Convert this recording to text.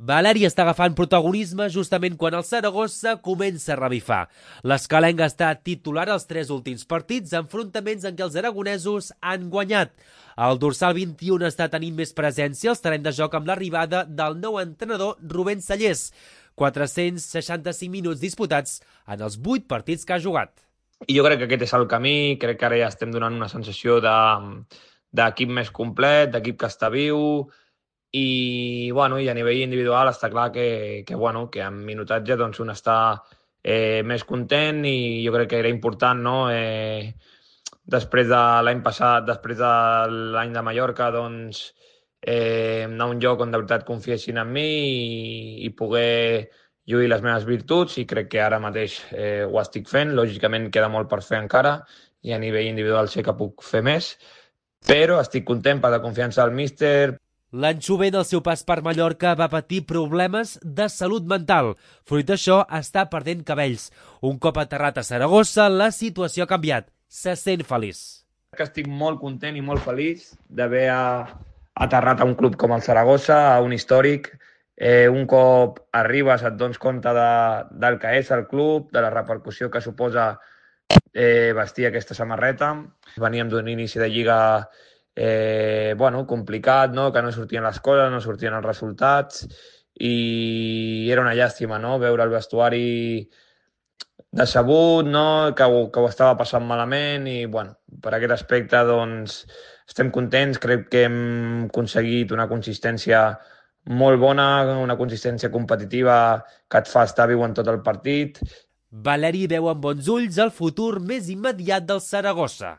Valeri està agafant protagonisme justament quan el Saragossa comença a revifar. L'Escalenc està titular als 3 últims partits, enfrontaments en què els aragonesos han guanyat. El dorsal 21 està tenint més presència als terrenys de joc amb l'arribada del nou entrenador Rubén Cellers. 465 minuts disputats en els 8 partits que ha jugat. I jo crec que aquest és el camí, crec que ara ja estem donant una sensació d'equip més complet, d'equip que està viu, i a nivell individual està clar que en minutatge doncs, un està més content, i jo crec que era important, no? Després de l'any passat, després de l'any de Mallorca, doncs, anar a un lloc on de veritat confiessin en mi i poder lluir les meves virtuts, i crec que ara mateix ho estic fent. Lògicament queda molt per fer encara, i a nivell individual sé que puc fer més, però estic content per la confiança del míster. L'any jovent, al seu pas per Mallorca, va patir problemes de salut mental. Fruit d'això, està perdent cabells. Un cop aterrat a Saragossa, la situació ha canviat. Se sent feliç. Que estic molt content i molt feliç d'haver aterrat a un club com el Saragossa, a un històric. Un cop arribes et dones compte del que és el club, de la repercussió que suposa vestir aquesta samarreta. Veníem d'un inici de lliga complicat, no? Que no sortien les coses, no sortien els resultats, i era una llàstima, no? Veure el vestuari decebut, no? Que ho estava passant malament, i per aquest aspecte doncs, estem contents. Crec que hem aconseguit una consistència molt bona, una consistència competitiva que et fa estar viu en tot el partit. Valeri veu amb bons ulls el futur més immediat del Saragossa.